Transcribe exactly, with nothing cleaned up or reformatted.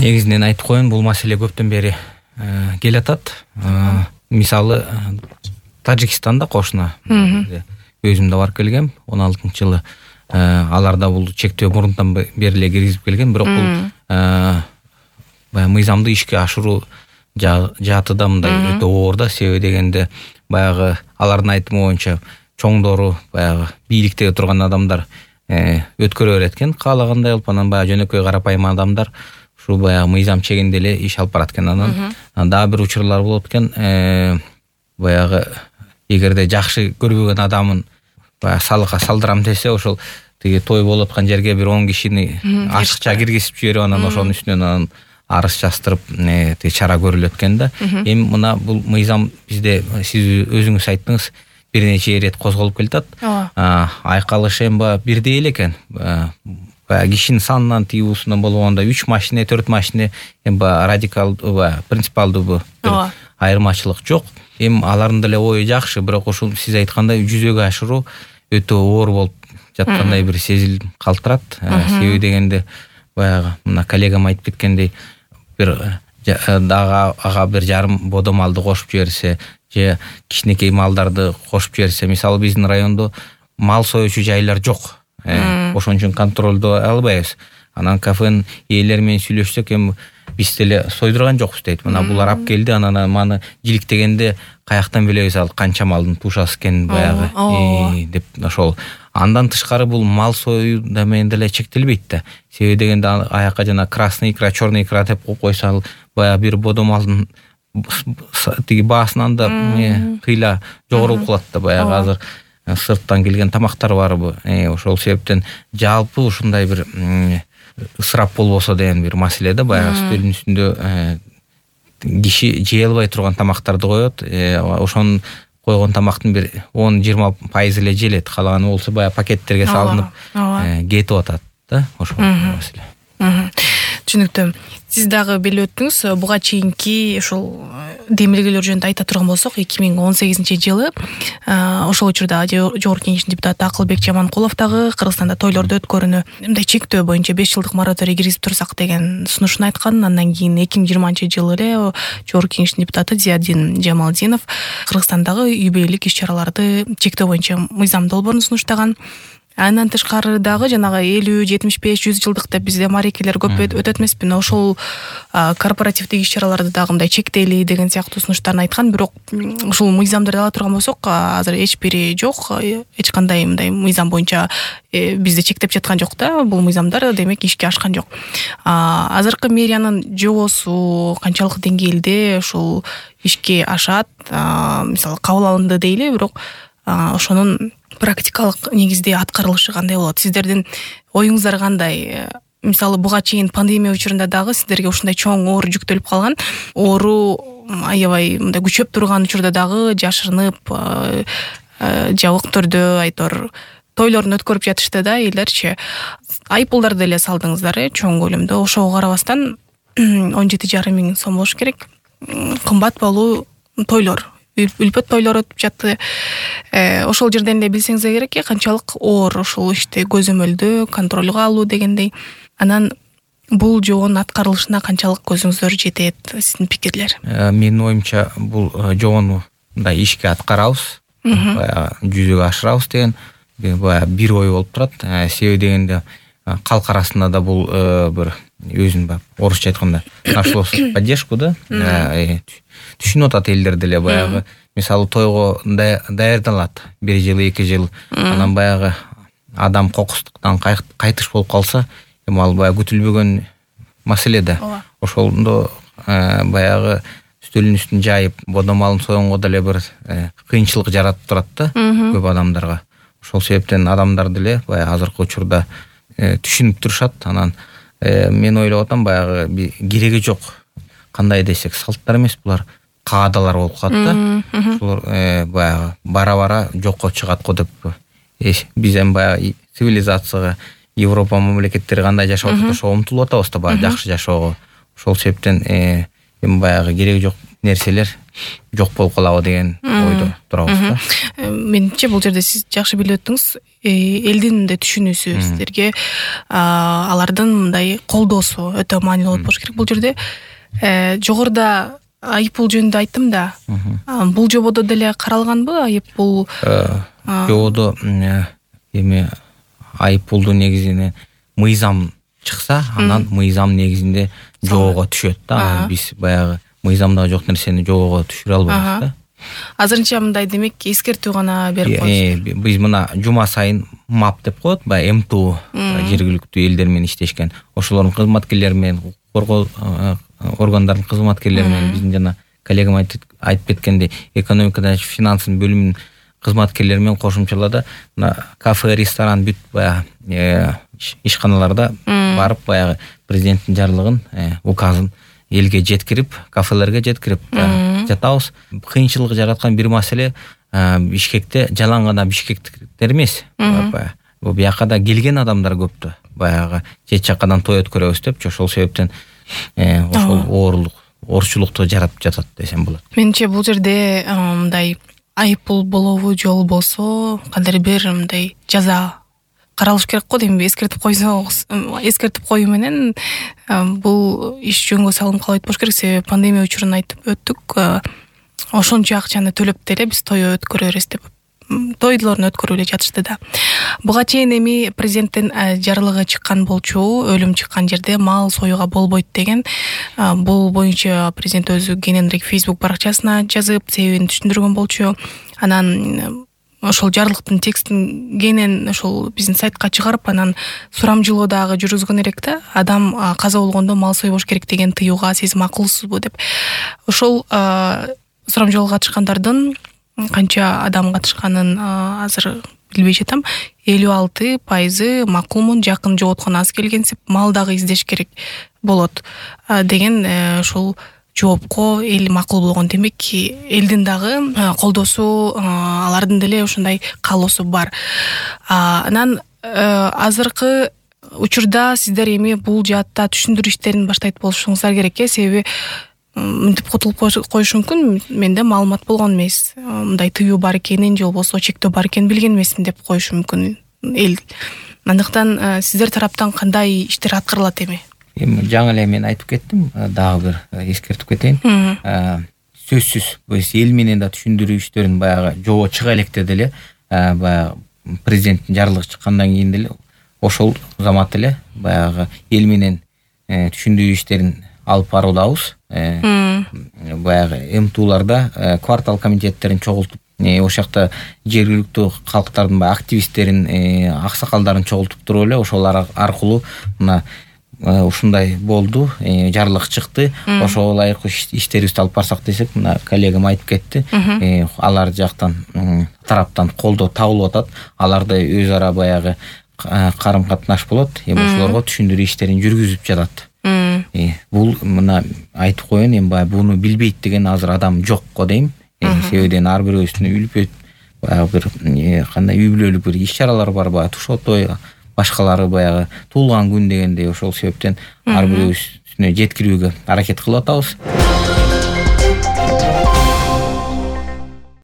Негизинен айтып коеюн, бул маселе көптөн бери келатат. Мисалы Тажикстанда кошуна өзүм да барып келгем, он алтынчы жылы. Аларда бул чектөө мурунтан бери эле киргизип келген, бирок бул баягы мыйзамды ишке ашыруу жааты да мындай өтө оор да. Себеби дегенде баягы алардын айтымы боюнча чоңдору, баягы бийликтеги турган адамдар өткөрө берет экен, каалагандай алып, анан баягы жөнөкөй карапайым адамдар ушу баягы мыйзам чегинде эле иш алып барат экен. Анан дагы бир учурлар болот экен, баягы эгерде жакшы көрбөгөн адамын баягы салыкка салдырам десе, ошол тиги той болуп аткан жерге бир он кишини ашыкча киргизип жиберип, анан ошонун үстүнөн анан арыз жаздырып тиги чара көрүлөт экен да. Эми мына бул мыйзам бизде, сиз өзүңүз айттыңыз, бир нече ирет козголуп келатат. Айкалышы эми баягы бирдей эле экен. Баягы кишинин санынан, тиюусунан болгондо үч машина, төрт машина, эми баягы радикалдуу, баягы принципиалдуу бир айырмачылык жок. Эми алардын деле ою жакшы, бирок ушул сиз айткандай жүзөгө ашыруу өтө оор болуп жаткандай бир сезилим калтырат. Себеби дегенде баягы мына коллегам айтып кеткендей, бир дагы ага бир жарым бодо малды кошуп жиберсе, же кичинекей малдарды кошуп жиберсе, мисалы биздин райондо мал союучу жайлар жок. Ошон үчүн контролдой албайбыз. Анан кафенин ээлери менен сүйлөшсөк, эми биз деле сойдурган жокпуз дейт. Мына булар алып келди, анан маны жиликтегенде каяктан билебиз ал канча малдын тушасы экенин баягы деп ошол. Андан тышкары бул мал союу да менен деле чектелбейт да. Себеби дегенде аяка жана красный икра, черный икра деп койсо, ал баягы бир бодо малдын тиги баасынан да кыйла жогору кылат да. Баягы азыр сырттан келген тамактар барбы? Ошол себептен жалпы ушундай бир ысырап болбосо деген бир маселе да. Баягы стөлдүн үстүндө киши жей албай турган тамактарды коет. Ошонун койгон тамактын бир он жыйырма пайызы эле желет. Калаганы болсо баягы пакеттерге салынып кетип атат да. Ошол маселе. Түшүнүктүү. Сиз дагы белип өттүңүз, буга чейинки ушул демилгелер жөнүндө айта турган болсок, эки миң он сегизинчи жылы ошол учурда Жогорку Кеңештин депутаты Акылбек Жаманкулов дагы Кыргызстанда тойлорду өткөрүүнү мындай чектөө боюнча беш жылдык мораторий киргизип турсак деген сунушун айткан. Андан кийин эки миң жыйырманчы жылы эле Жогорку Кеңештин депутаты Зиядин Жамалдинов Кыргызстандагы үй бүлөлүк иш-чараларды чектөө боюнча мыйзам долбоорун сунуштаган. Андан тышкары дагы жанагы элүү, жетимиш беш, жүз жылдык деп бизде марекелер көп өтөт эмеспи? Ошол корпоративдик иш-чараларды дагы мындай чектейли деген сыяктуу сунуштарын айткан. Бирок ушул мыйзамдарды ала турган болсок, азыр эч бири жок. Эч кандай мындай мыйзам боюнча бизде чектеп жаткан жок да. Бул мыйзамдар демек ишке ашкан жок. Азыркы мэриянын жобосу канчалык деңгээлде ушул ишке ашат? Мисалы кабыл алынды дейли, бирок ошонун практикалык негизде аткарылышы кандай болот? Сиздердин оюңуздар кандай? Мисалы буга чейин пандемия учурунда дагы сиздерге ушундай чоң оор жүктөлүп калган. Оору аябай мындай күчөп турган учурда дагы жашырынып, жабык түрдө айтор тойлорун өткөрүп жатышты да элдерчи. Айыппулдарды эле салдыңыздар, чоң көлөмдө. Ошого карабастан он жети жарым миң сом болуш керек. Кымбат болуу тойлор. Үлпөт тойлор өтүп жатты. Ошол жерден эле билсеңиз керек, канчалык оор ошол ишти көзөмөлдөө, контролго алуу дегендей. Анан бул жобонун аткарылышына канчалык көзүңүздөр жетет? Сиздин пикирлер? Менин оюмча бул жобону мындай ишке аткарабыз, жүзөгө ашырабыз деген баягы бир ой болуп турат. Себеби дегенде калк арасында да бул бир өзүн орусча айтканда нашло поддержку да. Түшүнүп атат элдер деле. Баягы мисалы тойго даярдалат бир жыл, эки жыл, анан баягы адам кокустуктан кайтыш болуп калса, эми ал баягы күтүлбөгөн маселе да. Ошондо баягы стөлүн үстүн жайып, бодо малын союнго деле бир кыйынчылык жаратып турат да көп адамдарга. Ошол себептен адамдар деле баягы азыркы учурда түшүнүп турушат. Анан мен ойлоп атам, баягы кереги жок. Кандай десек, салттар эмес, булар каадалар болуп калат да. Ушулар баягы бара-бара жокко чыгат го деп. Биз эми баягы цивилизацияга, Европа мамлекеттери кандай жашап атат, ошого умтулуп атабыз да, баягы жакшы жашоого. Ошол себептен эми баягы кереги жок нерселер жок болуп калабы деген ойдо турабыз да. Менимче бул жерде сиз жакшы билип өттүңүз. элдин мындай түшүнүүсү, сиздерге алардын мындай колдоосу өтө маанилүү болуш керек бул жерде. Жогоруда айыппул жөнүндө айттым да. Бул жободо деле каралганбы айыппул? Жободо эми айыппулду негизинен мыйзам чыкса, анан мыйзам негизинде жобого түшөт да. Биз баягы мыйзамда жок нерсени жобого түшүрө албайбыз да. Азырынча мындай демек эскертүү гана берип коюшат. Биз мына жума сайын мап деп коет, баягы эм тэ о жергиликтүү элдер менен иштешкен. Ошолордун кызматкерлери менен, коргоо органдардын кызматкерлери менен, биздин жана коллегам айтып кеткендей, экономика жана финанстын бөлүмүнүн кызматкерлери менен кошумчалада мына кафе, ресторан бүт баягы ишканаларда барып баягы президенттин жарлыгын, указын элге жеткирип, кафелерге жеткирип жатабыз. Кыйынчылык жараткан бир маселе Бишкекте жалаң гана бишкектиктер эмес. Бул бияка да келген адамдар көп да. Баягы чет жакадан той өткөрөбүз депчи, ошол себептен ошол оорлук, орчулукту жаратып жатат десем болот. Менимче бул жерде мындай айыппул болобу же болбосо кандайдыр бир мындай жаза каралыш керек го дейм. Эскертип койсо, эскертип коюу менен бул иш жөнгө салынып калбайт болуш керек. Себеби пандемия учурун айтып өттүк. Ошончо акчаны төлөп деле биз той өткөрөбүз деп тойлорун өткөрүп эле жатышты да. Буга чейин эми президенттин жарлыгы чыккан болчу, өлүм чыккан жерде мал союуга болбойт деген. Бул боюнча президент өзү кененирээк Facebook баракчасына жазып, себебин түшүндүргөн болчу. Анан ошол жарлыктын текстин кенен ошол биздин сайтка чыгарып, анан сурамжылоо дагы жүргүзгөн элек да. Адам каза болгондо мал сойбош керек деген тыюуга сиз макулсузбу деп. Ошол сурамжылоого катышкандардын канча адам катышканын азыр билбей жатам. элүү алты пайызы макулмун, жакын жоготкон аз келгенсип, мал дагы издеш керек болот деген ошол жоопко эл макул болгон. Демек элдин дагы колдоосу, алардын деле ошондой каалоосу бар. Анан азыркы учурда сиздер эми бул жаатта түшүндүрүү иштерин баштайт болушуңуздар керек э, себеби мынтип кутулуп коюшу мүмкүн. Менде маалымат болгон эмес, мындай тыюу бар экенин же болбосо чектөө бар экенин билген эмесмин деп коюшу мүмкүн эл. Андыктан сиздер тараптан кандай иштер аткарылат эми? Эми жаңы эле мен айтып кеттим, дагы бир эскертип кетейин. Сөзсүз биз эл менен да түшүндүрүү иштерин баягы жобо чыга электе деле, баягы президенттин жарлыгы чыккандан кийин деле ошол замат эле баягы эл менен түшүндүрүү иштерин алып баруудабыз. Баягы эм тэ оларда квартал комитеттерин чогултуп, ошол жакта жергиликтүү калктардын баягы активисттерин, аксакалдарын чогултуп туруп эле ошолар аркылуу мына ушундай болду, жарлык чыкты, ошого ылайык иштерибизди алып барсак десек, мына коллегам айтып кетти, алар жактан тараптан колдоо табылып атат, аларда өз ара баягы карым катнаш болот, эми ошолорго түшүндүрүү иштерин жүргүзүп жатат. Бул мына айтып коеюн, эми баягы буну билбейт деген азыр адам жок го дейм. Себебиден ар бирөөбүздүн үлпөт баягы бир кандай үй бүлөлүк бир иш чаралар бар, баягы тушоо той, башкалары баягы туулган күн дегендей, ошол себептен ар бирөөбүз жеткирүүгө аракет кылып атабыз.